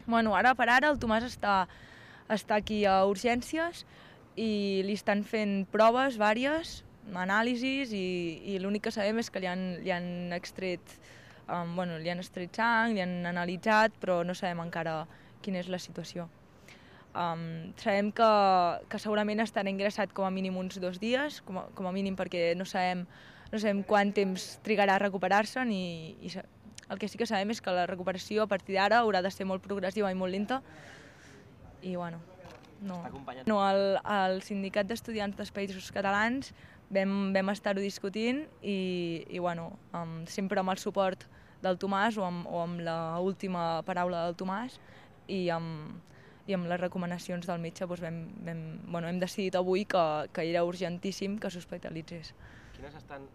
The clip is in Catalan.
Bueno, ara per ara el Tomàs està aquí a urgències i li estan fent proves vàries, anàlisis, i l'únic que sabem és que li han extret li han extret sang, li han analitzat, però no sabem encara quina és la situació. Sabem que segurament estarà ingressat com a mínim uns 2 dies, com a mínim, perquè no sabem quant temps trigarà a recuperar-se, el que sí que sabem és que la recuperació a partir d'ara haurà de ser molt progressiva i molt lenta, i bueno, no. No, el sindicat d'estudiants dels Països Catalans vam estar-ho discutint i bueno, sempre amb el suport del Tomàs o amb l'última paraula del Tomàs i amb les recomanacions del metge doncs hem decidit avui que era urgentíssim que s'hospitalitzés. Quines estan